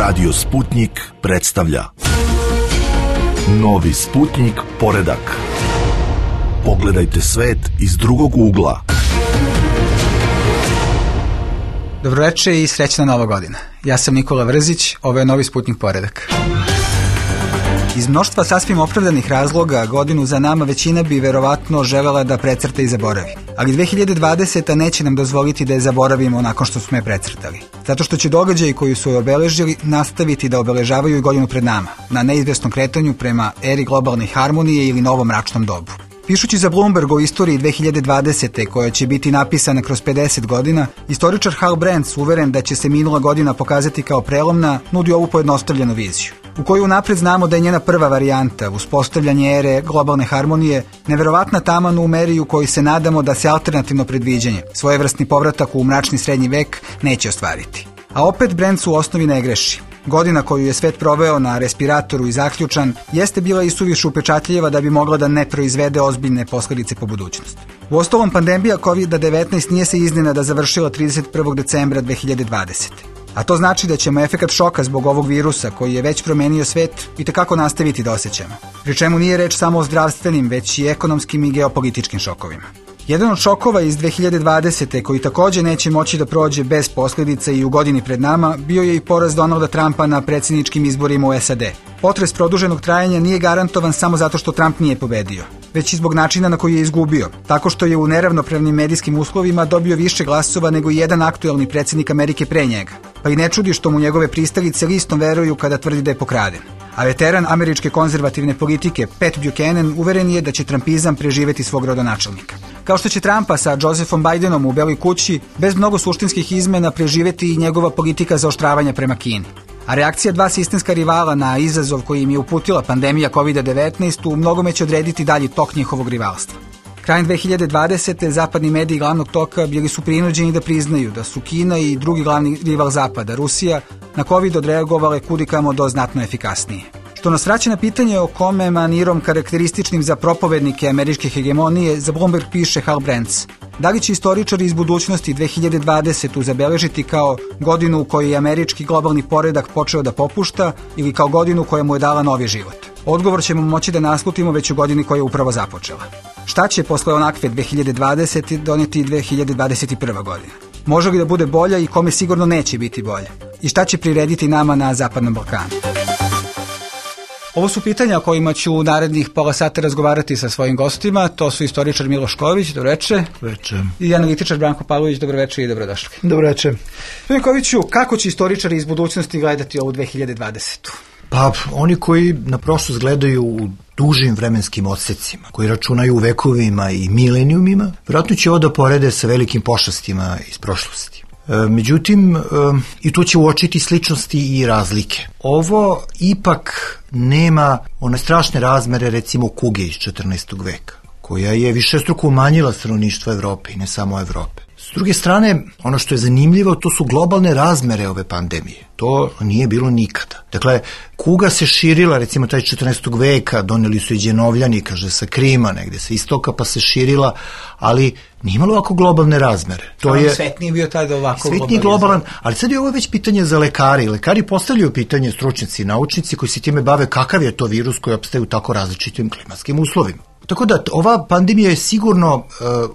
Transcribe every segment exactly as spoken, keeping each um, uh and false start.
Radio Sputnik predstavlja Novi Sputnik poredak. Pogledajte svet iz drugog ugla. Dobroveče i srećna Nova godina. Ja sam Nikola Vrzić, ovo je Novi Sputnik poredak. Iz mnoštva sasvim opravdanih razloga godinu za nama većina bi verovatno želela da precrta i zaboravi. Ali dve hiljade dvadeseta neće nam dozvoliti da je zaboravimo nakon što smo je precrtali. Zato što će događaji koji su je obeležili nastaviti da obeležavaju i godinu pred nama, na neizvesnom kretanju prema eri globalne harmonije ili novom mračnom dobu. Pišući za Bloomberg o istoriji dve hiljade dvadesete koja će biti napisana kroz pedeset godina, istoričar Hal Brands, uveren da će se minula godina pokazati kao prelomna, nudi ovu pojednostavljenu viziju, u koju napred znamo da je njena prva varijanta, uspostavljanje ere globalne harmonije, neverovatna taman u meri u kojoj se nadamo da se alternativno predviđanje, svojevrsni povratak u mračni srednji vek, neće ostvariti. A opet Brands u osnovi ne greši. Godina koju je svet proveo na respiratoru i zaključan jeste bila i suviše upečatljiva da bi mogla da ne proizvede ozbiljne posledice po budućnost. Uostalom, pandemija kovid devetnaest nije se iznenada završila trideset prvog decembra dve hiljade dvadesete. A to znači da ćemo efekat šoka zbog ovog virusa, koji je već promenio svet, i tekako nastaviti da osjećamo. Pri čemu nije reč samo o zdravstvenim, već i ekonomskim i geopolitičkim šokovima. Jedan od šokova iz dve hiljade dvadesete koji također neće moći da prođe bez posljedica i u godini pred nama bio je i poraz Donalda Trumpa na predsjedničkim izborima u S A D. Potres produženog trajanja nije garantovan samo zato što Trump nije pobedio, već i zbog načina na koji je izgubio, tako što je u neravnopravnim medijskim uslovima dobio više glasova nego i jedan aktuelni predsjednik Amerike pre njega. Pa i ne čudi što mu njegove pristalice listom veruju kada tvrdi da je pokraden. A veteran američke konzervativne politike Pat Buchanan uveren je da će trumpizam preživeti svog rodonačelnika. Kao što će Trumpa sa Josephom Bidenom u Beloj kući bez mnogo suštinskih izmena preživeti i njegova politika zaoštravanja prema Kini. A reakcija dva sistemska rivala na izazov koji im je uputila pandemija kovid devetnaest u mnogome će odrediti dalji tok njihovog rivalstva. Krajem dve hiljade dvadesete zapadni mediji glavnog toka bili su prinuđeni da priznaju da su Kina i drugi glavni rival Zapada, Rusija, na COVID odreagovale kudikamo do znatno efikasnije. Što nas vraća na pitanje o kome manirom karakterističnim za propovednike američke hegemonije za Bloomberg piše Hal Brands. Da li će istoričari iz budućnosti dve hiljade dvadesetu zabeležiti kao godinu u kojoj je američki globalni poredak počeo da popušta ili kao godinu koja mu je dala novi život? Odgovor ćemo moći da naslutimo već u godini koja je upravo započela. Šta će posle onakve dve hiljade dvadesete doneti dve hiljade dvadeset prva godina? Može li da bude bolja i kome sigurno neće biti bolja? I šta će prirediti nama na Zapadnom Balkanu? Ovo su pitanja o kojima ću u narednih pola sata razgovarati sa svojim gostima. To su istoričar Miloš Ković, dobroveče. Dobroveče. I analitičar Branko Pavlović, dobroveče i dobrodošli. Dobroveče. Gospodine Koviću, kako će istoričari iz budućnosti gledati ovu dve hiljade dvadesetu? Pa, oni koji na prošlost gledaju u dužim vremenskim odsecima, koji računaju u vekovima i milenijumima, vjerojatno će ovo da porede sa velikim pošastima iz prošlosti. E, međutim, e, i tu će uočiti sličnosti i razlike. Ovo ipak nema one strašne razmere, recimo kuge iz četrnaestog veka, koja je višestruko umanjila stanovništvo Evrope i ne samo Evrope. S druge strane, ono što je zanimljivo, to su globalne razmere ove pandemije. To nije bilo nikada. Dakle, kuga se širila, recimo taj četrnaestog veka, doneli su i Đenovljani, kaže, sa Krima, negde sa istoka, pa se širila, ali nije imalo ovako globalne razmere. To je svet nije bio tada ovako svet nije globalan, ali sad je ovo već pitanje za lekari. Lekari postavljaju pitanje, stručnjaci i naučnici koji se time bave, kakav je to virus koji opstaje u tako različitim klimatskim uslovima. Tako da, ova pandemija je sigurno uh,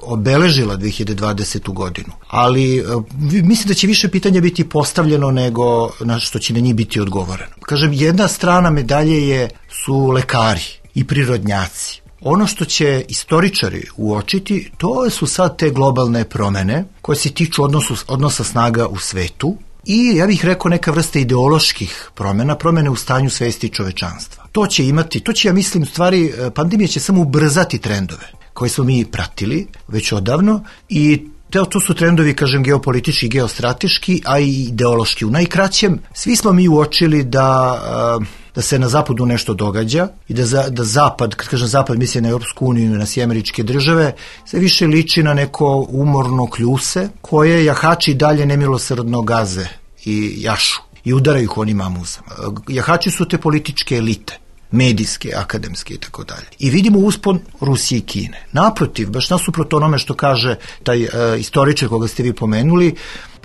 obeležila dve hiljade dvadesetu godinu, ali uh, mislim da će više pitanja biti postavljeno nego na što će na njih biti odgovoreno. Kažem, jedna strana medalje je, su lekari i prirodnjaci. Ono što će istoričari uočiti, to su sad te globalne promene koje se tiču odnosu, odnosa snaga u svetu i, ja bih rekao, neka vrsta ideoloških promena, promene u stanju svesti čovečanstva. To će imati, to će, ja mislim, u stvari, pandemija će samo ubrzati trendove koje smo mi pratili već odavno i to, to su trendovi, kažem, geopolitički, geostrateški, a i ideološki. U najkraćem, svi smo mi uočili da, da se na zapadu nešto događa i da, za, da zapad, kad kažem zapad, mislim na Europsku uniju i na sve američke države, sve više liči na neko umorno kljuse koje jahači dalje nemilosrdno gaze i jašu i udaraju ih onim amuzama. Jahači su te političke elite, medijske, akademske i tako dalje. I vidimo uspon Rusije i Kine. Naprotiv, baš nasuprot onome što kaže taj uh, istoričar koga ste vi pomenuli,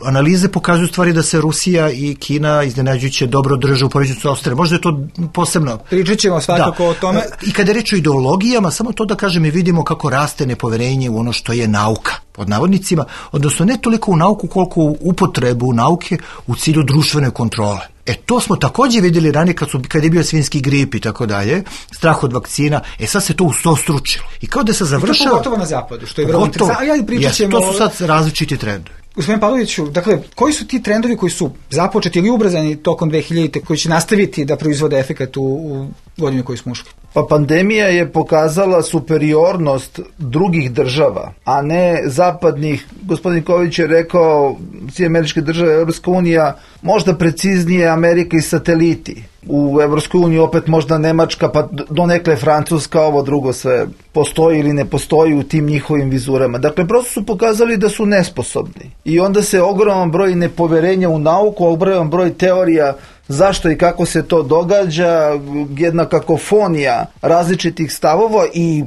analize pokazuju stvari da se Rusija i Kina iznenađujuće dobro drže u poređenju sa Australijom. Možda je to posebno. Pričat ćemo svakako da. o tome. I kada je reč o ideologijama, samo to da kažem, mi vidimo kako raste nepoverenje u ono što je nauka, pod navodnicima, odnosno ne toliko u nauku koliko u upotrebu nauke u cilju društvene kontrole. E to smo također vidjeli ranije kad, su, kad je bio svinjski grip i tako dalje, strah od vakcina, e sad se to ustostručilo. I kao da se završava... I to pogotovo na zapadu, što je vrlo interesantno. Ja pričat ćemo... To su sad različiti trendovi. Gospodin Pavloviću, dakle, koji su ti trendovi koji su započeti ili ubrzani tokom dve hiljadite koji će nastaviti da proizvode efekat u, u godinu koju smo ušli? Pa pandemija je pokazala superiornost drugih država, a ne zapadnih. Gospodin Ković je rekao, Sjedinjene Američke Države, Evropska unija, možda preciznije Amerika i sateliti. U Evropskoj uniji opet možda Nemačka, pa donekle Francuska, ovo drugo sve postoji ili ne postoji u tim njihovim vizurama. Dakle, prosto su pokazali da su nesposobni. I onda se ogroman broj nepoverenja u nauku, ogroman broj teorija zašto i kako se to događa, jedna kakofonija različitih stavova i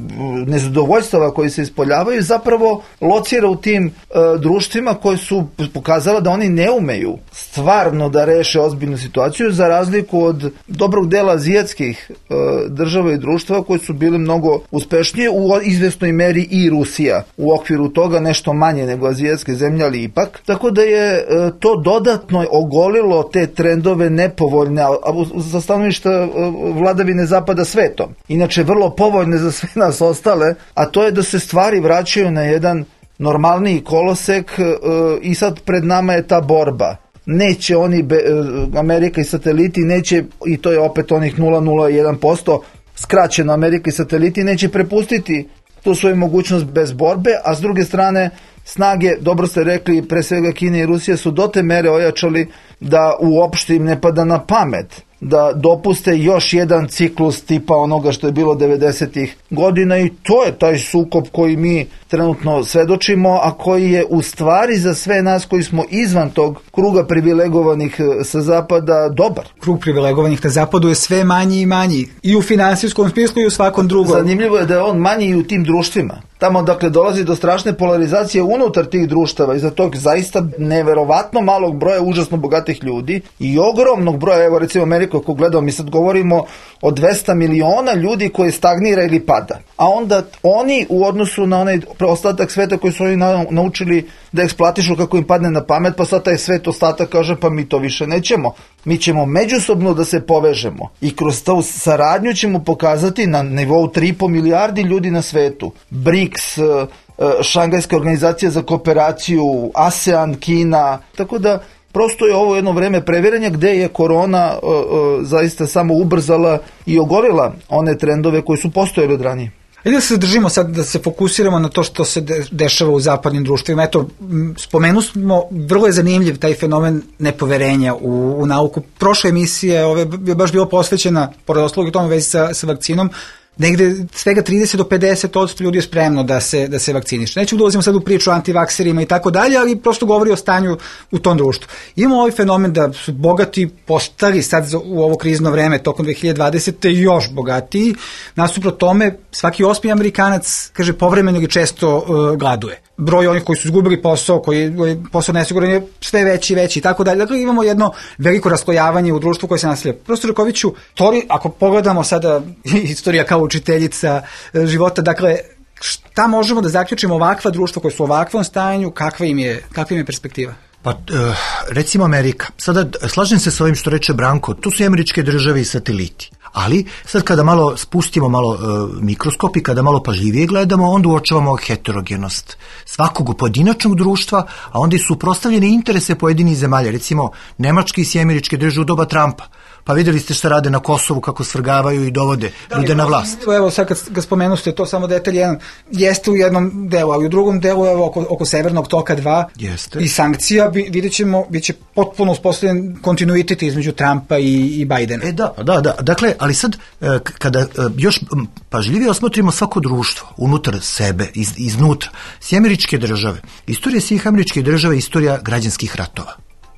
nezadovoljstava koji se ispoljavaju zapravo locira u tim e, društvima koji su pokazala da oni ne umeju stvarno da reše ozbiljnu situaciju, za razliku od dobrog dela azijatskih e, država i društva koji su bili mnogo uspešnije, u izvesnoj meri i Rusija u okviru toga, nešto manje nego azijatske zemlje, ali ipak. Tako da je e, to dodatno ogolilo te trendove nepovoljne, a za stanovišta vladavine zapada svetom. Inače, vrlo povoljne za sve nas ostale, a to je da se stvari vraćaju na jedan normalniji kolosek e, i sad pred nama je ta borba. Neće oni, be, Amerika i sateliti, neće, i to je opet onih nula zarez jedan posto, skraćeno Amerika i sateliti, neće prepustiti tu svoju mogućnost bez borbe, a s druge strane snage, dobro ste rekli, pre svega Kina i Rusija su do te mere ojačali da uopšte im ne pada na pamet da dopuste još jedan ciklus tipa onoga što je bilo devedesetih godina, i to je taj sukob koji mi trenutno svedočimo, a koji je u stvari za sve nas koji smo izvan tog kruga privilegovanih sa zapada dobar. Krug privilegovanih na zapadu je sve manji i manji, i u finansijskom smislu i u svakom drugom. Zanimljivo je da je on manji i u tim društvima. Tamo, dakle, dolazi do strašne polarizacije unutar tih društava i za tog zaista neverovatno malog broja užasno bogatih ljudi i ogromnog broja, evo recimo Amerika, ako gledamo, mi sad govorimo o dvesta miliona ljudi koji stagnira ili pada. A onda oni u odnosu na onaj ostatak sveta koji su oni naučili da eksploatišu kako im padne na pamet, pa sad taj svet ostatak kaže pa mi to više nećemo. Mi ćemo međusobno da se povežemo i kroz tu saradnju ćemo pokazati na nivou tri i po milijardi ljudi na svetu. B R I C S, Šangajska organizacija za kooperaciju, ASEAN, Kina, tako da prosto je ovo jedno vreme previranja gde je korona uh, uh, zaista samo ubrzala i ogolila one trendove koji su postojali od ranije. I da se držimo sad, da se fokusiramo na to što se de- dešava u zapadnim društvima. Eto, spomenu smo, vrlo je zanimljiv taj fenomen nepoverenja u, u nauku. Prošle emisije ove je baš bila posvećena, pored ostalog i tome vezi sa, sa vakcinom, negde svega trideset do pedeset posto ljudi je spremno da se, da se vakciniše. Neću da ulazimo sad u priču o antivakserima i tako dalje, ali prosto govori o stanju u tom društvu. Imamo ovaj fenomen da su bogati postali sad u ovo krizno vreme tokom dve hiljade dvadesete još bogatiji. Nasuprot tome, svaki osmi Amerikanac, kaže, povremeno ili često uh, gladuje. Broj onih koji su izgubili posao, koji je posao nesiguran je sve veći i veći i tako dalje. Dakle, imamo jedno veliko raslojavanje u društvu koje se nastavlja. Profesor Rakoviću, tori, ako pogledamo sada istorija kao učiteljica života, dakle, šta možemo da zaključimo ovakva društva koja su u ovakvom stanju, kakva im je, kakva im je perspektiva? Pa, recimo Amerika. Sada, slažem se s ovim što reče Branko, tu su i Američke države i sateliti. Ali, sad kada malo spustimo malo e, mikroskop i kada malo pažljivije gledamo, onda uočavamo heterogenost svakog pojedinačnog društva, a onda i suprotstavljene interese pojedinih zemalja. Recimo, Nemačke i Američke države u doba Trumpa. Pa vidjeli ste šta rade na Kosovu, kako svrgavaju i dovode da, ljude na vlast. Evo, sad kad ga spomenu ste, to samo detalj jedan, jeste u jednom delu, ali u drugom delu, evo, oko, oko Severnog toka dva jeste. I sankcija, vidjet ćemo, bit će potpuno uspostavljen kontinuitet između Trumpa i, i Bajdena. E da, da, da, dakle, ali sad, kada još pažljivije osmotrimo svako društvo, unutar sebe, iz, iznutra, sve Američke države, istorija svih Američkih država je istorija građanskih ratova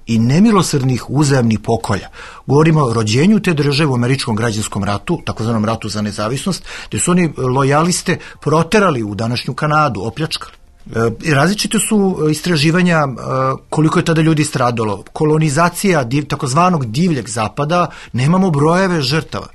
i nemilosrdnih uzajamnih pokolja. Govorimo o rođenju te države u američkom građanskom ratu, takozvanom ratu za nezavisnost, gde su oni lojaliste proterali u današnju Kanadu, opljačkali. E, različite su istraživanja e, koliko je tada ljudi stradalo. Kolonizacija div, takozvanog divljeg zapada, nemamo brojeve žrtava.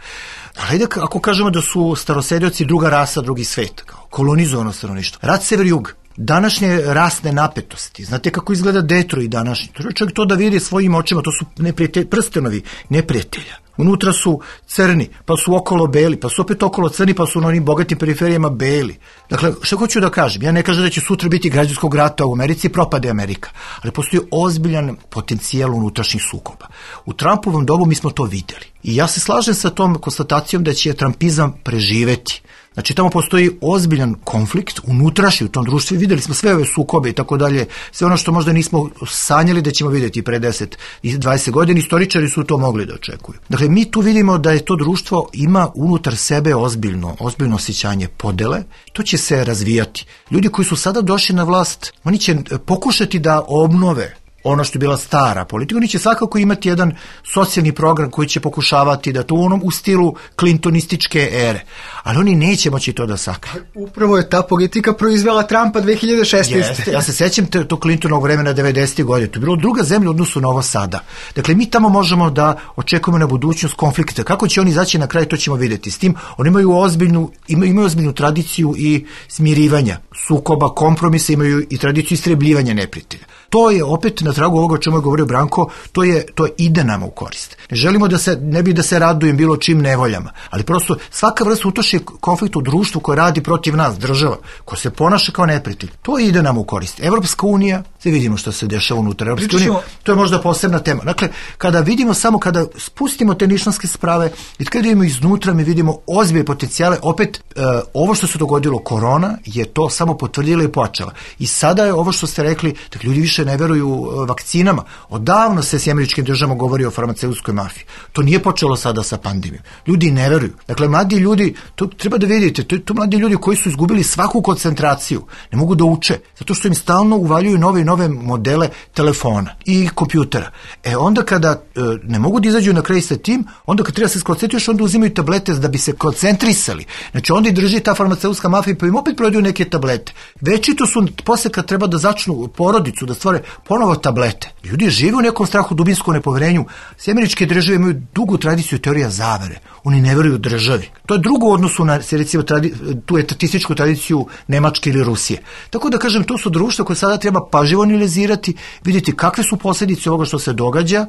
Hajde, ako kažemo da su starosedioci druga rasa, drugi svet, kao kolonizovano stanovništvo. Rat sever-jug, današnje rasne napetosti, znate kako izgleda Detroit današnji, čovjek to da vidi svojim očima, to su neprijatelji, prstenovi neprijatelja. Unutra su crni, pa su okolo beli, pa su opet okolo crni, pa su na onim bogatim periferijama beli. Dakle, što hoću da kažem? Ja ne kažem da će sutra biti građanskog rata u Americi, propade Amerika, ali postoji ozbiljan potencijal unutrašnjih sukoba. U Trumpovom dobu mi smo to vidjeli. I ja se slažem sa tom konstatacijom da će Trumpizam preživeti. Znači, tamo postoji ozbiljan konflikt unutrašnji u tom društvu. Vidjeli smo sve ove sukobe i tako dalje, sve ono što možda nismo sanjali da ćemo vidjeti pre deset i dvadeset godina, istoričari su to mogli da očekuju. Dakle, mi tu vidimo da je to društvo ima unutar sebe ozbiljno, ozbiljno osjećanje podele, to će se razvijati. Ljudi koji su sada došli na vlast, oni će pokušati da obnove ono što je bila stara politika, oni će svakako imati jedan socijalni program koji će pokušavati da to u onom u stilu klintonističke ere, ali oni neće moći to da sakriju. Upravo je ta politika proizvela Trumpa dve hiljade šesnaeste. Jeste, ja se sećam te, to Clintonovog vremena devedesetih godina, to je bilo druga zemlja u odnosu na ovo sada. Dakle, mi tamo možemo da očekujemo na budućnost konflikta. Kako će oni izaći na kraj, to ćemo vidjeti. S tim, oni imaju ozbiljnu, imaju, imaju ozbiljnu tradiciju i smirivanja, sukoba, kompromisa, imaju i tradiciju istrebljivanja neprijatelja. To je opet na tragu ovoga o čemu je govorio Branko, to je to ide nama u korist. Ne želimo da se, ne bi da se radujem bilo čim nevoljama, ali prosto svaka vrsta utoši konflikta u društvu koje radi protiv nas, država, koja se ponaša kao neprijatelj, to ide nam u korist. Evropska unija, sve vidimo što se dešava unutar Evropske unije, to je možda posebna tema. Dakle, kada vidimo samo, kada spustimo te nišanske sprave i kada vidimo iznutra, mi vidimo ozbiljne potencijale, opet e, ovo što se dogodilo, korona, je to samo potvrdila i pojačala. I sada je ovo što ste rekli, da ljudi više ne veruju vakcinama. Odavno se s američkim državama govori o farmaceutskoj mafiji. To nije počelo sada sa pandemijom. Ljudi ne veruju. Dakle, mladi ljudi, to treba da vidite, to, to mladi ljudi koji su izgubili svaku koncentraciju, ne mogu da uče, zato što im stalno uvaljuju nove i nove modele telefona i kompjutera. E onda kada e, ne mogu da izađu na kraj sa tim, onda kad treba se skoncentriš, onda uzimaju tablete da bi se koncentrisali. Znači, onda i drži ta farmaceutska mafija, pa im opet prodaju neke tablete. Večito su, posle kad treba da začnu porodicu, da stvore ponovo tablete. Ljudi žive u nekom strahu, dubinskom nepoverenju. Sve američke države imaju dugu tradiciju teorija zavere. Oni ne veruju državi. To je drugo u odnosu na, recimo, tradi, tu etatističku tradiciju Nemačke ili Rusije. Tako da kažem, to su društva koje sada treba pažljivo analizirati, vidjeti kakve su posljedice ovoga što se događa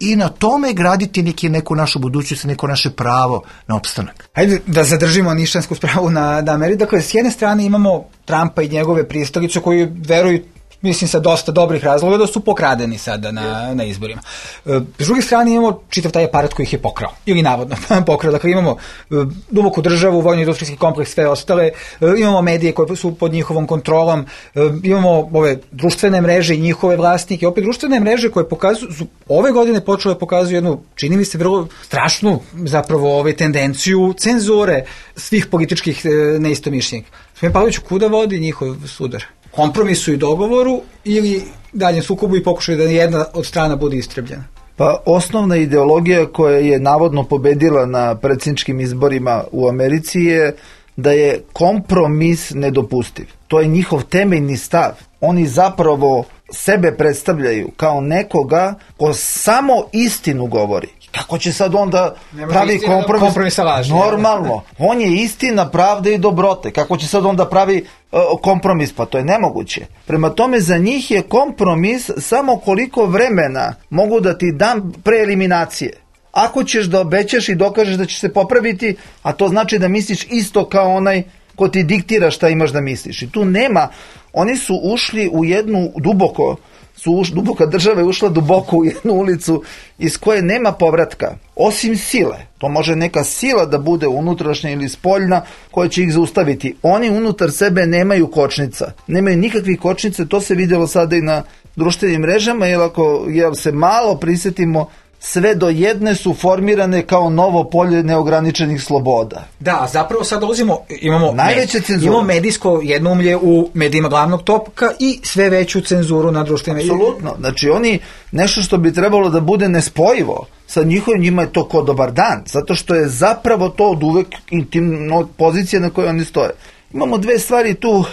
i na tome graditi neki, neku našu budućnost, neko naše pravo na opstanak. Hajde da zadržimo nišansku spravu na, na Ameriku. Dakle, s jedne strane imamo Trumpa i njegove pristalice koji veruju, mislim, sa dosta dobrih razloga da su pokradeni sada na, na izborima. E, s druge strane imamo čitav taj aparat koji ih je pokrao, ili navodno pokrao. Dakle, imamo e, duboku državu, vojno-industrijski kompleks, sve ostale, e, imamo medije koje su pod njihovom kontrolom, e, imamo ove društvene mreže i njihove vlasnike. Opet društvene mreže koje pokazuju, su ove godine počele pokazuju jednu, čini mi se, vrlo strašnu zapravo ove tendenciju cenzure svih političkih e, neistomišljenika. Gospodin Pavlović, kuda vodi njihov sudar? Kompromisu i dogovoru ili daljem sukobu i pokušaju da jedna od strana bude istrebljena? Pa osnovna ideologija koja je navodno pobedila na predsjedničkim izborima u Americi je da je kompromis nedopustiv. To je njihov temeljni stav. Oni zapravo sebe predstavljaju kao nekoga ko samo istinu govori. Kako će sad onda pravi kompromis? Kompromisa laži. Normalno. On je istina, pravda i dobrote. Kako će sad onda pravi uh, kompromis? Pa to je nemoguće. Prema tome, za njih je kompromis samo koliko vremena mogu da ti dam pre eliminacije. Ako ćeš da obećaš i dokažeš da ćeš se popraviti, a to znači da misliš isto kao onaj ko ti diktira šta imaš da misliš. I tu nema, oni su ušli u jednu duboko, su uš, duboka država je ušla duboko u jednu ulicu iz koje nema povratka, osim sile. To može neka sila da bude unutrašnja ili spoljna koja će ih zaustaviti. Oni unutar sebe nemaju kočnica, nemaju nikakvih kočnica, to se vidjelo sada i na društvenim mrežama, jer ako jel se malo prisjetimo, sve do jedne su formirane kao novo polje neograničenih sloboda. Da, zapravo sad dolazimo, imamo, najveće cenzure. Imamo medijsko jednoumlje u medijima glavnog topka i sve veću cenzuru na društvenim medijima. Apsolutno. Znači oni, nešto što bi trebalo da bude nespojivo sa njihovim, njima je to ko dobar dan, zato što je zapravo to od uvek intimno pozicija na kojoj oni stoje. Imamo dve stvari tu,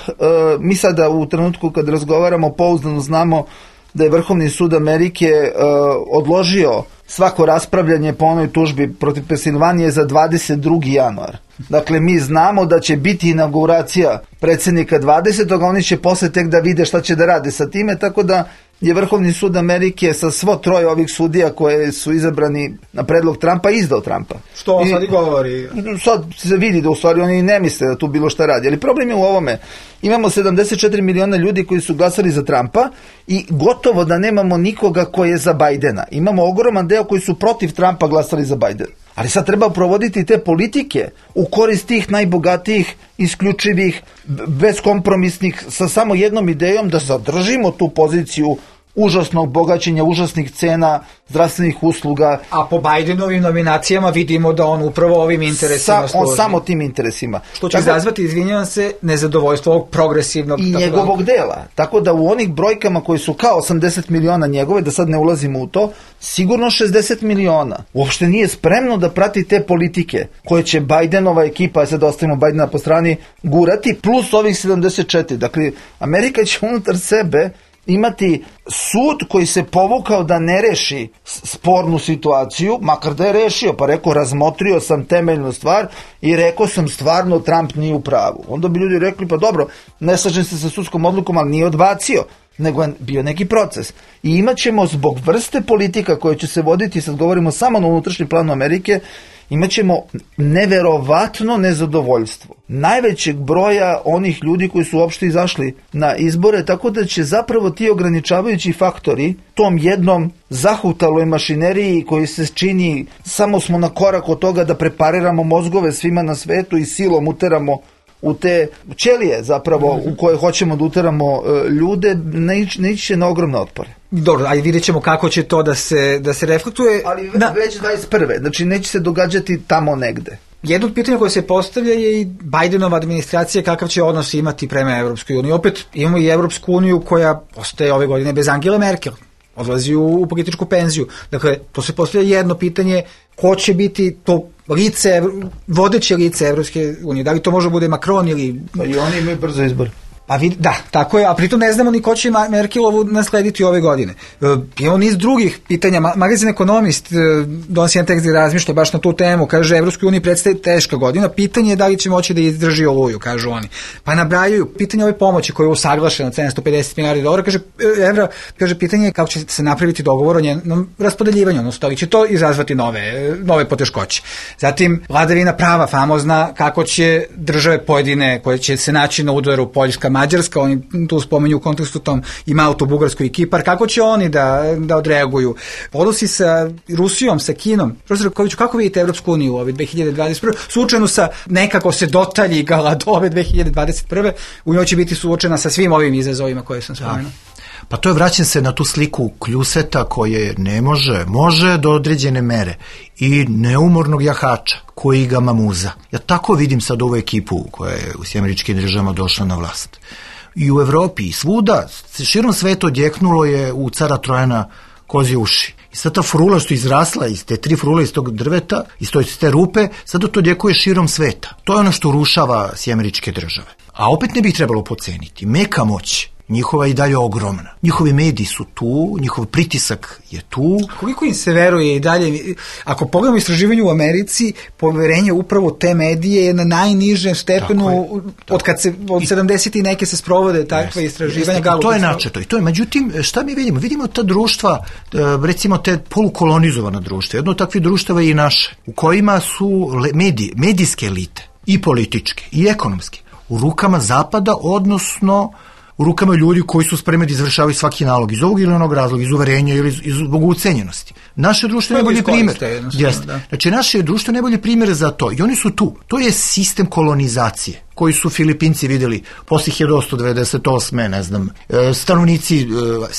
mi sada u trenutku kad razgovaramo pouzdano znamo da je Vrhovni sud Amerike odložio svako raspravljanje po onoj tužbi protiv Pensilvanije za dvadeset drugi januar. Dakle, mi znamo da će biti inauguracija predsjednika dvadesetog a oni će posle tek da vide šta će da rade sa time, tako da je Vrhovni sud Amerike sa svo troje ovih sudija koje su izabrani na predlog Trumpa izdao Trumpa. Što on sad i govori? Sad se vidi da u stvari oni ne misle da tu bilo šta radi. Ali problem je u ovome. Imamo sedamdeset četiri miliona ljudi koji su glasali za Trumpa i gotovo da nemamo nikoga koji je za Bajdena. Imamo ogroman deo koji su protiv Trumpa glasali za Bajdena. Ali sad treba provoditi te politike u korist tih najbogatijih, isključivih, bezkompromisnih, sa samo jednom idejom da zadržimo tu poziciju užasnog bogaćenja, užasnih cena, zdravstvenih usluga. A po Bajdenovim nominacijama vidimo da on upravo ovim interesima Sa, on samo tim interesima. Što će izazvati, izvinjavam se, nezadovoljstvo ovog progresivnog... I njegovog dela. Tako da u onih brojkama koji su kao osamdeset miliona njegove, da sad ne ulazimo u to, sigurno šezdeset miliona. Uopšte nije spremno da prati te politike koje će Bajdenova ekipa, sad ostavimo Bajdena po strani, gurati, plus ovih sedamdeset četiri. Dakle, Amerika će unutar sebe imati sud koji se povukao da ne reši spornu situaciju, makar da je rešio, pa rekao razmotrio sam temeljnu stvar i rekao sam stvarno Trump nije u pravu. Onda bi ljudi rekli pa dobro, ne slažem se sa sudskom odlukom, ali nije odbacio, nego je bio neki proces. I imat ćemo zbog vrste politika koje će se voditi, sad govorimo samo na unutrašnjem planu Amerike, imat ćemo neverovatno nezadovoljstvo najvećeg broja onih ljudi koji su uopšte izašli na izbore, tako da će zapravo ti ograničavajući faktori tom jednom zahutaloj mašineriji koji se čini, samo smo na korak od toga da prepariramo mozgove svima na svetu i silom uteramo u te ćelije zapravo u koje hoćemo da uteramo ljude, ne ići na ogromne otpore. Dobro, ajde vidjet ćemo kako će to da se, da se reflektuje. Ali da. Već dvadeset prve Znači neće se događati tamo negde. Jedno od pitanja koje se postavlja je i Bajdenova administracija kakav će odnos imati prema Evropskoj uniji. Opet imamo i Evropsku uniju koja ostaje ove godine bez Angele Merkel. Odlazi u, u političku penziju. Dakle, to se postavlja jedno pitanje, ko će biti to lice, vodeće lice Evropske unije. Da li to može bude Macron ili... Pa i oni imaju brzo izbor. Pa vid, da, tako je, a pritom ne znamo ni ko će Merkelovu naslediti ove godine. E, imamo niz drugih pitanja. Magazin Ekonomist e, donosi jedan tekst gdje razmišlja baš na tu temu. Kaže, Evropskoj uniji predstavlja teška godina. Pitanje je da li će moći da izdrži oluju, kažu oni. Pa nabrajaju pitanje ove pomoći koja je usaglašena sedamsto pedeset milijardi dolara. Kaže, evra, kaže, pitanje je kako će se napraviti dogovor o njenom raspodeljivanju, odnosno da li će to izazvati nove, nove poteškoće. Zatim, vladavina prava famozna, kako će države pojedine koje će se naći na udaru, Poljska, Mađarska, oni tu spomenju u kontekstu tom i Maltu, Bugarsku i Kipar, kako će oni da, da odreaguju. Odnosi sa Rusijom, sa Kinom. Profesor Koviću, kako vidite Evropsku uniju u ove dve hiljade dvadeset prve Suočenu sa nekako se dotaljigala do ove dve hiljade dvadeset prve U njoj će biti suočena sa svim ovim izazovima koje sam spomenuo. Pa to je vraćam se na tu sliku kljuseta koje ne može, može do određene mere i neumornog jahača koji ga mamuza. Ja tako vidim sad ovu ekipu koja je u Sjedinjenim Američkim Državama došla na vlast. I u Evropi i svuda, širom sveta odjeknulo je u cara Trojana kozje uši. I sad ta frula što je izrasla iz te tri frule iz tog drveta, iz te rupe, sad to odjekuje širom sveta. To je ono što rušava Sjedinjene Američke Države. A opet ne bi trebalo poceniti. Meka moć njihova je i dalje ogromna. Njihovi mediji su tu, njihov pritisak je tu. Koliko im se veruje i dalje? Ako pogledamo istraživanje u Americi, poverenje upravo te medije je na najnižem stepenu od kad se od sedamdeset i neke se sprovode takva istraživanja. Jeste, to je načeto. I to je, međutim, šta mi vidimo? Vidimo ta društva, recimo te polukolonizovana društva. Jedno od takvih društava je i naše, u kojima su mediji, medijske elite, i političke, i ekonomske, u rukama Zapada, odnosno u rukama ljudi koji su spremni da izvršavaju svaki nalog iz ovog ili onog razloga, iz uverenja ili iz, iz zbog ucenjenosti. Naše društvo je najbolji primjer. Da. Znači, naše društvo je najbolji primjer za to. I oni su tu. To je sistem kolonizacije koji su Filipinci vidjeli posle hiljadu osamsto devedeset osme ne znam, stanovnici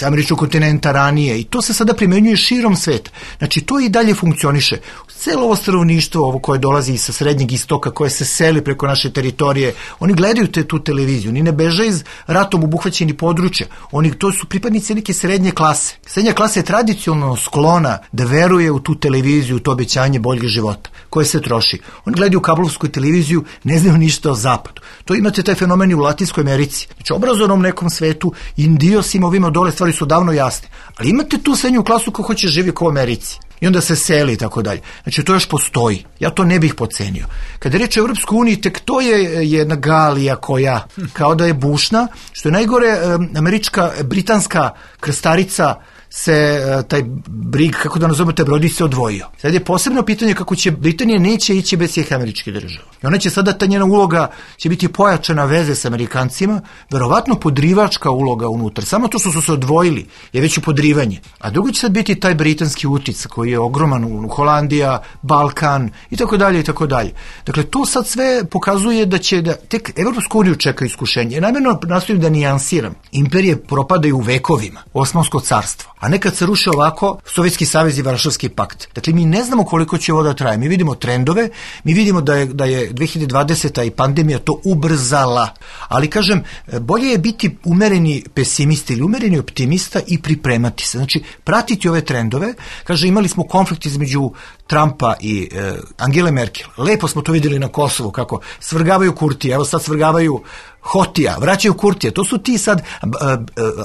američkog kontinenta ranije i to se sada primenjuje širom sveta. Znači, to i dalje funkcioniše. Celo ovo stanovništvo, ovo koje dolazi sa srednjeg istoka, koje se seli preko naše teritorije, oni gledaju te, tu televiziju, oni ne beže iz ratom obuhvaćeni područja, oni, to su pripadnici neke srednje klase. Srednja klasa je tradicionalno sklona da veruje u tu televiziju, u to obećanje boljeg života, koje se troši. Oni gledaju kablovsku televiziju, ne znaju ništa o zapadu. zapadu. To imate taj fenomen i u Latinskoj Americi. Znači, obrazovnom nekom svetu, Indiosima, ovima dole stvari su davno jasne. Ali imate tu srednju klasu ko hoće živi kao u Americi. I onda se seli i tako dalje. Znači, to još postoji. Ja to ne bih pocenio. Kada je reč o Evropskoj uniji, tek to je jedna galija koja, kao da je bušna, što je najgore, američka, britanska krstarica se taj brig, kako da nazovemo, taj brodić se odvojio. Sad je posebno pitanje kako će Britanija neće ići bez svih američkih država. I ona će sada, ta njena uloga će biti pojačana veze s Amerikancima, verovatno podrivačka uloga unutar. Samo to što su se odvojili je već u podrivanje. A drugo će sad biti taj britanski uticaj koji je ogroman u Holandija, Balkan i tako dalje i tako dalje. Dakle, to sad sve pokazuje da će da tek Evropsku uniju čeka iskušenje. Ja namjerno nastojim da nijansiram. Imperije propadaju u vekovima. Osmansko carstvo. A nekad se ruše ovako Sovjetski savez i Varšavski pakt. Dakle, mi ne znamo koliko će ovo da traje. Mi vidimo trendove, mi vidimo da je, da je dve hiljade dvadeseta i pandemija to ubrzala. Ali, kažem, bolje je biti umereni pesimista ili umereni optimista i pripremati se. Znači, pratiti ove trendove. Kaže, imali smo konflikt između Trumpa i e, Angele Merkel. Lepo smo to vidjeli na Kosovu, kako svrgavaju Kurtija, evo sad svrgavaju Hotija, vraćaju Kurtija. To su ti sad, a, a,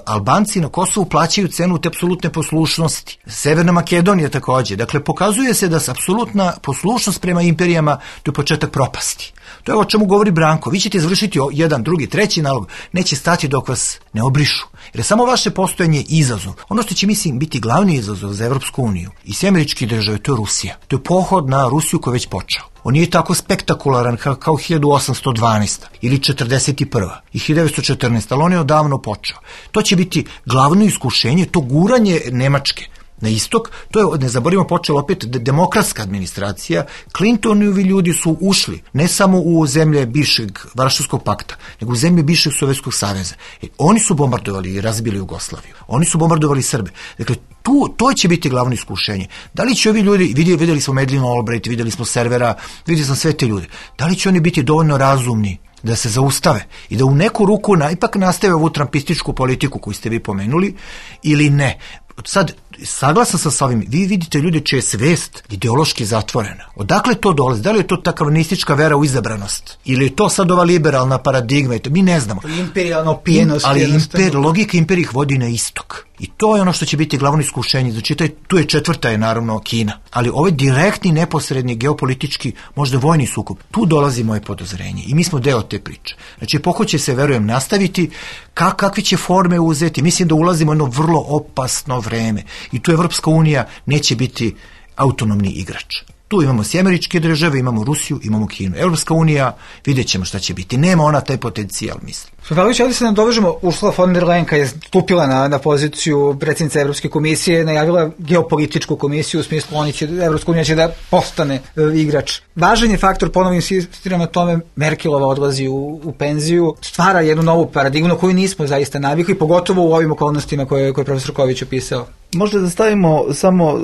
Albanci na Kosovu plaćaju cenu te apsolutne poslušnosti. Severna Makedonija također. Dakle, pokazuje se da se apsolutna poslušnost prema imperijama to je početak propasti. To je o čemu govori Branko. Vi ćete izvršiti jedan, drugi, treći nalog. Neće stati dok vas ne obrišu. Jer je samo vaše postojanje izazov. Ono što će, mislim, biti glavni izazov za Evropsku uniju i sve američke države, to je Rusija. To je pohod na Rusiju koji je već počeo. On nije tako spektakularan kao hiljadu osamsto dvanaesta ili četrdeset prva i hiljadu devetsto četrnaesta, ali on je odavno počeo. To će biti glavno iskušenje, to guranje Nemačke na istok. To je, ne zaboravimo, počela opet demokratska administracija. Clintonovi ljudi su ušli ne samo u zemlje bivšeg Varšavskog pakta, nego u zemlje bivšeg Sovjetskog saveza. E, oni su bombardovali i razbili Jugoslaviju. Oni su bombardovali Srbe. Dakle, tu, to će biti glavno iskušenje. Da li će ovi ljudi, vidjeli, vidjeli smo Madeleine Albright, vidjeli smo Servera, vidjeli smo sve te ljude, da li će oni biti dovoljno razumni da se zaustave i da u neku ruku na, ipak nastave ovu trampističku politiku koju ste vi pomenuli ili ne. Sad, saglasan sam sa ovim, vi vidite ljude čija je svest ideološki zatvorena. Odakle to dolazi? Da li je to ta kalvinistička vera u izabranost? Ili je to sad ova liberalna paradigma? Mi ne znamo. Imperijalna opijenost. Ali imper, logika imperija ih vodi na istok. I to je ono što će biti glavno iskušenje. Znači, taj, tu je četvrta je naravno Kina. Ali ovaj direktni, neposredni, geopolitički, možda vojni sukob, tu dolazi moje podozrenje. I mi smo deo te priče. Znači, epoha će se, verujem, nastaviti. Kak, kakve će forme uzeti? Mislim da ulazimo u jedno vrlo opasno vreme. I tu Evropska unija neće biti autonomni igrač. Tu imamo sve američke države, imamo Rusiju, imamo Kinu. Evropska unija, vidjet ćemo šta će biti. Nema ona taj potencijal, mislim. Šefalović, ovdje se nam dovežemo, Ursula von der Leyen, kad je stupila na, na poziciju predsjednice Evropske komisije, najavila geopolitičku komisiju, u smislu oni će, Evropska unija će da postane e, igrač. Važan je faktor, ponovno insistiram na tome, Merkelova odlazi u, u penziju, stvara jednu novu paradigmu na koju nismo zaista navikli, pogotovo u ovim okolnostima koje, koje je profesor Ković opisao. Možda da stavimo samo uh,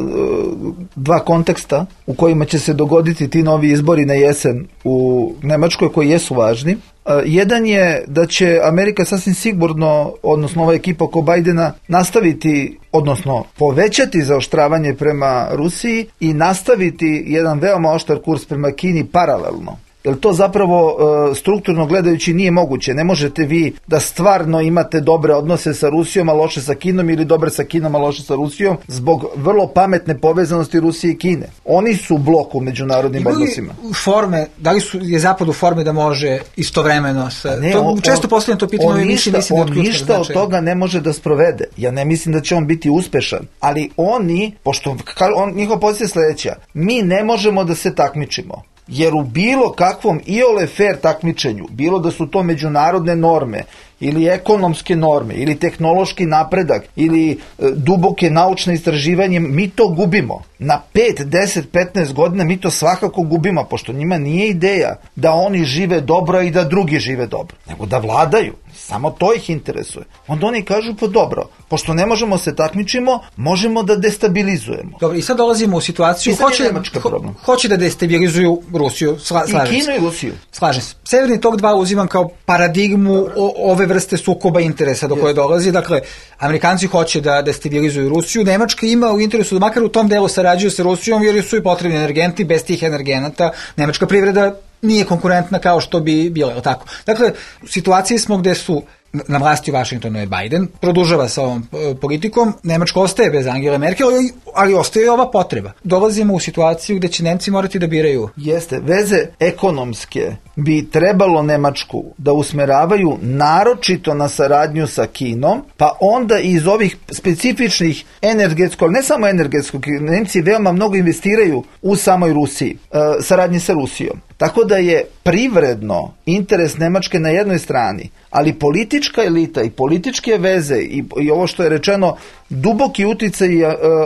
dva konteksta u kojima će se dogoditi ti novi izbori na jesen u Nemačkoj koji jesu važni. Uh, jedan je da će Amerika sasvim sigurno, odnosno ova ekipa oko Bajdena, nastaviti, odnosno povećati zaoštravanje prema Rusiji i nastaviti jedan veoma oštar kurs prema Kini paralelno. Jer to zapravo e, strukturno gledajući nije moguće. Ne možete vi da stvarno imate dobre odnose sa Rusijom, a loše sa Kinom, ili dobre sa Kinom, a loše sa Rusijom, zbog vrlo pametne povezanosti Rusije i Kine. Oni su blok u međunarodnim Ima li odnosima. Forme, da li su, je Zapad u forme da može istovremeno sa... Ne, to, on, često postavljam to pitanje, on, više ništa, mislim da on ništa od toga ne može da sprovede. Ja ne mislim da će on biti uspešan. Ali oni, pošto on, njihova pozicija je sljedeća, mi ne možemo da se takmičimo. Jer u bilo kakvom iole fair takmičenju, bilo da su to međunarodne norme, ili ekonomske norme, ili tehnološki napredak, ili e, duboke naučne istraživanje, mi to gubimo. Na pet, deset, petnaest godina mi to svakako gubimo, pošto njima nije ideja da oni žive dobro i da drugi žive dobro, nego da vladaju. Samo to ih interesuje. Onda oni kažu, pa dobro, pošto ne možemo se takmičimo, možemo da destabilizujemo. Dobro, i sad dolazimo u situaciju, hoće, ho, hoće da destabilizuju Rusiju, sla, slažem I Kinu i Rusiju. Slažem se. Severni tok dva uzimam kao paradigmu o, ove vrste sukoba interesa do koje dolazi. Dakle, Amerikanci hoće da destabilizuju Rusiju, Nemačka ima u interesu da makar u tom delu sarađuju sa Rusijom, jer su i potrebni energenti, bez tih energenata Nemačka privreda nije konkurentna kao što bi bila, je tako? Dakle, u situaciji smo gde su na vlasti u Vašingtonu je Biden, produžava sa ovom politikom, Nemačka ostaje bez Angele Merkel, ali ostaje i ova potreba. Dolazimo u situaciju gde će Nemci morati da biraju. Jeste, veze ekonomske bi trebalo Nemačku da usmeravaju naročito na saradnju sa Kinom, pa onda iz ovih specifičnih energetskog, ne samo energetskog, Nemci veoma mnogo investiraju u samoj Rusiji, saradnji sa Rusijom. Tako da je privredno interes Nemačke na jednoj strani, ali politička elita i političke veze i, i ovo što je rečeno, duboki uticaj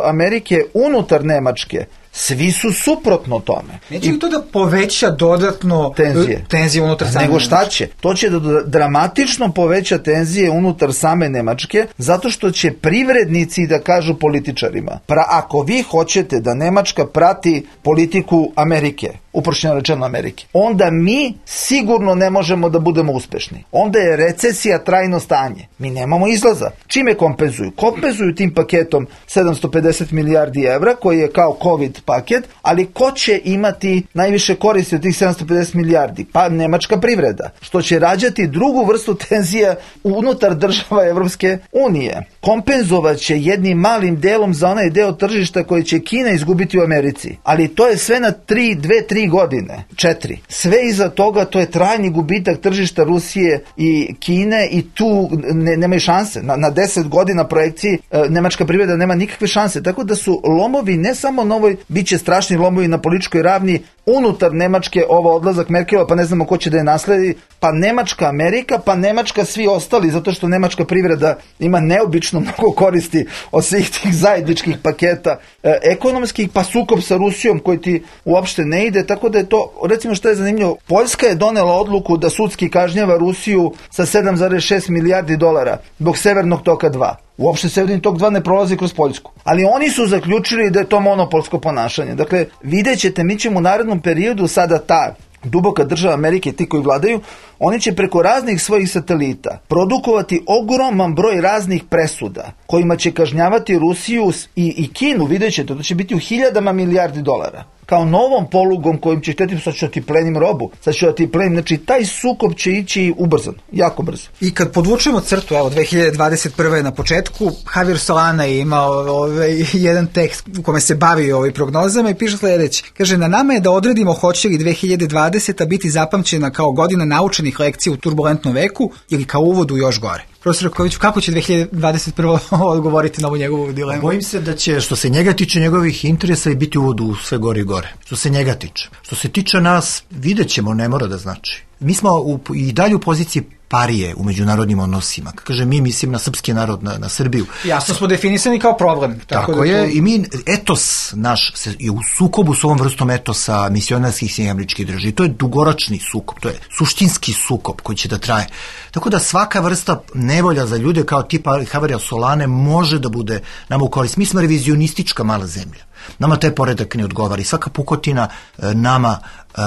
Amerike unutar Nemačke, svi su suprotno tome. Neće li to da poveća dodatno tenzije, tenzije unutar same Nego šta će? To će da dramatično poveća tenzije unutar same Nemačke, zato što će privrednici da kažu političarima, pra, ako vi hoćete da Nemačka prati politiku Amerike, uprošćeno rečeno Amerike, onda mi sigurno ne možemo da budemo uspešni. Onda je recesija trajno stanje. Mi nemamo izlaza. Čime kompenzuju? Kompenzuju tim paketom sedamsto pedeset milijardi evra, koji je kao COVID paket, ali ko će imati najviše koristi od tih sedamsto pedeset milijardi? Pa nemačka privreda, što će rađati drugu vrstu tenzija unutar država Evropske unije. Kompenzovat će jednim malim delom za onaj deo tržišta koji će Kina izgubiti u Americi. Ali to je sve na tri, dve, tri godine, četiri. Sve iza toga to je trajni gubitak tržišta Rusije i Kine i tu ne, nemaju šanse. Na, na deset godina projekciji e, nemačka privreda nema nikakve šanse. Tako da su lomovi ne samo na ovoj, bit će strašni lomovi na političkoj ravni unutar Nemačke, ovo odlazak Merkelova, pa ne znamo ko će da je nasledi, pa Nemačka Amerika, pa Nemačka svi ostali, zato što nemačka privreda ima neobično mnogo koristi od svih tih zajedničkih paketa e, ekonomskih, pa sukob sa Rusijom koji ti uopšte ne ide, tako da je to, recimo što je zanimljivo, Poljska je donela odluku da sudski kažnjava Rusiju sa sedam zarez šest milijardi dolara zbog Severnog toka dva. Uopšte Severni tok dva ne prolazi kroz Poljsku. Ali oni su zaključili da je to monopolsko ponašanje. Dakle, vidjet ćete, mi ćemo u narednom periodu sada ta duboka država Amerike, ti koji vladaju, oni će preko raznih svojih satelita produkovati ogroman broj raznih presuda kojima će kažnjavati Rusiju i, i Kinu, vidjet ćete, to će biti u hiljadama milijardi dolara. Kao novom polugom kojim će htjeti, sad ću da ti plenim robu, sad ću da ti plenim, znači taj sukob će ići ubrzano, jako brzo. I kad podvučemo crtu, evo, dve hiljade dvadeset prve na početku, Javier Solana je imao ovaj, jedan tekst u kome se bavi ovim prognozama i piše sljedeće. Kaže, na nama je da odredimo hoće li dve hiljade dvadeseta biti zapamćena kao godina naučenih lekcija u turbulentnom veku ili kao uvod u još gore. Profesor Raković, kako će dve hiljade dvadeset prva odgovoriti na ovu njegovu dilemu? Bojim se da će, što se njega tiče njegovih interesa, i biti uvod u sve gore i gore. Što se njega tiče. Što se tiče nas, vidjet ćemo, ne mora da znači. Mi smo u, i dalje u poziciji parije u međunarodnim odnosima. Kaže, mi mislim na srpski narod, na, na Srbiju. Jasno smo definisani kao problem. Tako, tako da je, to... i mi, etos naš se, je u sukobu s ovom vrstom etosa misionarskih Sjedinjenih Američkih Država. To je dugoročni sukob, to je suštinski sukob koji će da traje. Tako da svaka vrsta nevolja za ljude kao tipa Javiera Solane može da bude nama u korist. Mi smo revizionistička mala zemlja. Nama taj poredak ne odgovara i svaka pukotina nama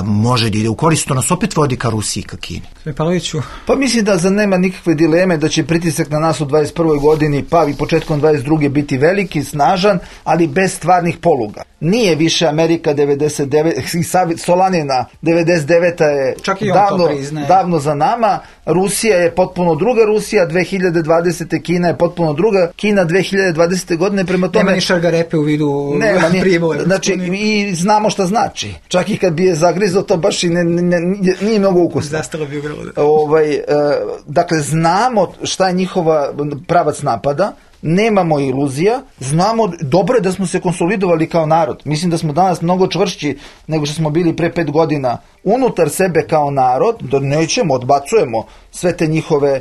može da ide u korist, to nas opet vodi ka Rusiji i ka Kini. Pavloviću. Pa mislim da za nema nikakve dileme da će pritisak na nas u dvadeset prvoj godini pa i početkom dvadeset druge biti veliki, snažan, ali bez stvarnih poluga. Nije više Amerika devedeset devete i Solanina devedeset deveta je davno, davno za nama, Rusija je potpuno druga Rusija, dve hiljade dvadesete Kina je potpuno druga Kina dve hiljade dvadesete godine, prema tome... Nema ni šargarepe u vidu Pribora. Znači, i znamo šta znači. Čak i kad bi je zagrizao, to baš i ne, ne, nije mnogo ukusno. Zastalo bi ugralo. Ovaj, e, dakle, znamo šta je njihova pravac napada, nemamo iluzija, znamo, dobro je da smo se konsolidovali kao narod. Mislim da smo danas mnogo čvršći nego što smo bili pre pet godina unutar sebe kao narod, da nećemo, odbacujemo sve te njihove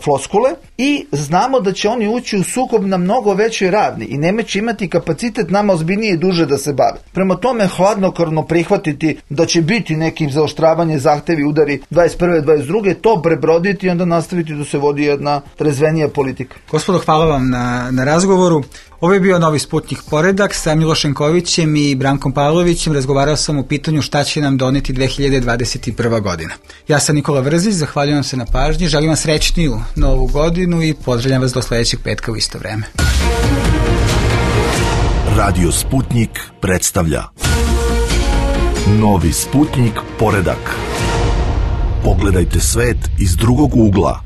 floskule i znamo da će oni ući u sukob na mnogo većoj ravni i neće imati kapacitet nama ozbiljnije i duže da se bave. Prema tome hladnokrvno prihvatiti da će biti nekim zaoštravanje, zahtevi, udari dvadeset prve dvadeset druge to prebroditi i onda nastaviti da se vodi jedna trezvenija politika. Gospodo, hvala vam na, na razgovoru. Ovo je bio Novi Sputnik poredak sa Milošem Kovićem i Brankom Pavlovićem. Razgovarao sam o pitanju šta će nam doneti dve hiljade dvadeset prva godina. Ja sam Nikola Vrzić, zahvaljujem se na pažnji, želim vam srećniju novu godinu i pozdravljam vas do sledećeg petka u isto vreme. Radio Sputnik predstavlja Novi Sputnik poredak. Pogledajte svet iz drugog ugla.